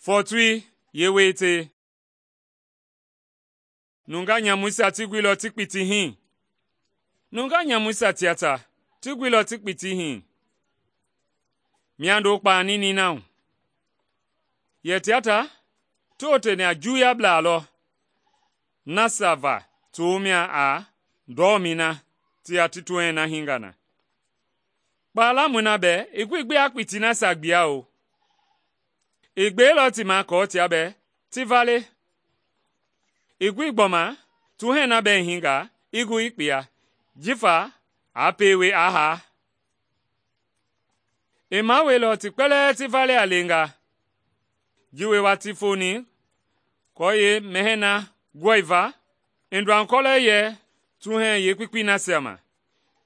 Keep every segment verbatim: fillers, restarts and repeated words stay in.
Fɔɔtoi yeeweetei. Nungaa nyamuisia ti guilɔ ti kpiti hii. Nungaa nyamuisia tia ta ti guilɔ ti kpiti hii. Miando kpaani nina hu. Yɛ tia ta ti oteni a Juuyablaa lɔ nasia va ti womia a ndɔmɛi na ti yaa ti tuhɛŋ na hinga na. Kpaa lamɔi na bɛɛ i goi gbi aa kpiti nasia gbia o. I gbeilɔ ti ma aako tia bɛɛ ti vale. I goi gbɔma tuhɛŋ na bɛɛ i hinga i gu i kpia, jifa aa pewe aa haa. I maweilɔ ti kpɛlɛɛ ti vale a lenga. Ji wie watii foni aako yeemɛhɛɛ na gɔiva, i nduankɔlɛ yɛ tuhɛŋ yeekpekpei nasia ma,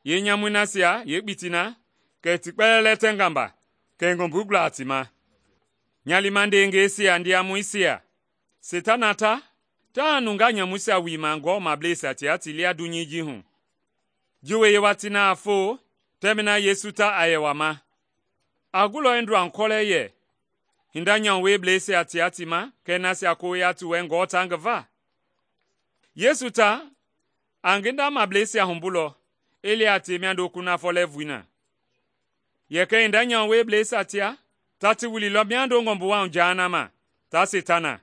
yeenyamui nasia yeekpiti na, kɛ ti kpɛlɛɛ lɛtɛnga mba, kɛ i ngɔmbui gula a ti ma. Nyalima ndeengɛisia ndiamɔisia, Seitana ta taa nungaa nyamuisia wiima Ngewɔmableisia tia ti lia dunyei ji hu. Ji wie yeewatii na a foo tɛmɛi na Yesu ta a yɛ wama, a gulɔ i nduankɔlɛ yɛ hinda nyamuweblɛisia tia ti ma kɛɛ nasia koya ti wɛ Ngewɔ ta ngi va. Yesu ta a ngi ndamableisia humbulɔ i li a tie miando kunafɔ lɛɛvui na. Yɛ kɛ hinda nyamuweblɛisia tia ta ti wililɔ miando ngɔmbuwa hu jahanama, ta Seitana.